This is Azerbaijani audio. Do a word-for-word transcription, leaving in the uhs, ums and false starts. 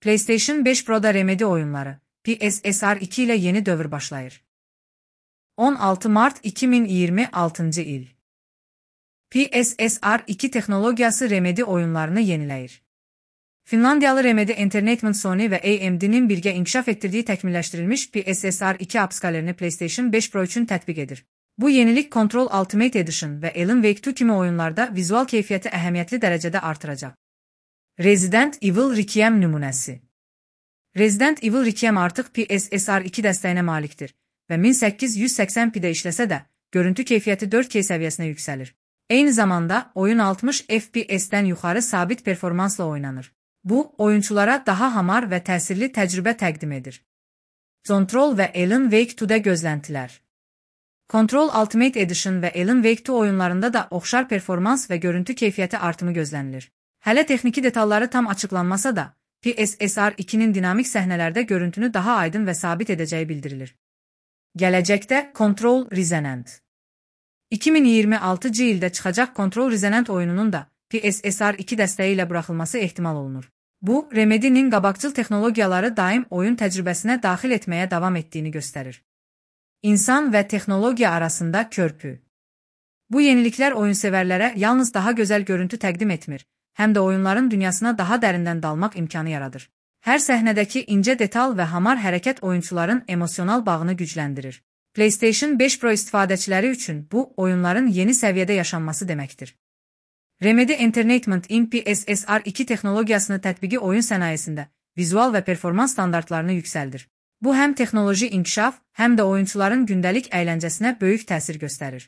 PlayStation beş Pro'da Remedy oyunları, P S S R iki ile yeni dövr başlayır. on altı Mart iki bin iyirmi altıncı il. P S S R iki teknologiyası Remedy oyunlarını yeniləyir. Finlandiyalı Remedy Entertainment Sony ve A M D'nin birgə inkişaf etdirdiyi təkmilləşdirilmiş P S S R iki upskallərini PlayStation beş Pro üçün tətbiq edir. Bu yenilik Control Ultimate Edition ve Alan Wake iki kimi oyunlarda vizual keyfiyyəti əhəmiyyətli dərəcədə artıracaq. Resident Evil Requiem nümunəsi. Resident Evil Requiem artıq P S S R iki dəstəyinə malikdir və min səkkiz yüz səksən p-də işləsə də, görüntü keyfiyyəti dörd K səviyyəsinə yüksəlir. Eyni zamanda, oyun altmış F P S-dən yuxarı sabit performansla oynanır. Bu, oyunçulara daha hamar və təsirli təcrübə təqdim edir. Control və Alan Wake ikidə gözləntilər. Control Ultimate Edition və Alan Wake iki oyunlarında da oxşar performans və görüntü keyfiyyəti artımı gözlənilir. Hələ texniki detalları tam açıqlanmasa da, P S S R ikinin dinamik səhnələrdə görüntünü daha aydın və sabit edəcəyi bildirilir. Gələcəkdə Control Resonant. iki min iyirmi altıncı ildə çıxacaq Control Resonant oyununun da P S S R iki dəstəyi ilə buraxılması ehtimal olunur. Bu, Remedy'nin qabaqcıl texnologiyaları daim oyun təcrübəsinə daxil etməyə davam etdiyini göstərir. İnsan və texnologiya arasında körpü. Bu yeniliklər oyunsevərlərə yalnız daha gözəl görüntü təqdim etmir, həm də oyunların dünyasına daha dərindən dalmaq imkanı yaradır. Hər səhnədəki incə detal və hamar hərəkət oyunçuların emosional bağını gücləndirir. PlayStation beş Pro istifadəçiləri üçün bu, oyunların yeni səviyyədə yaşanması deməkdir. Remedy Entertainment-in P S S R iki texnologiyasını tətbiqi oyun sənayesində vizual və performans standartlarını yüksəldir. Bu, həm texnoloji inkişaf, həm də oyunçuların gündəlik əyləncəsinə böyük təsir göstərir.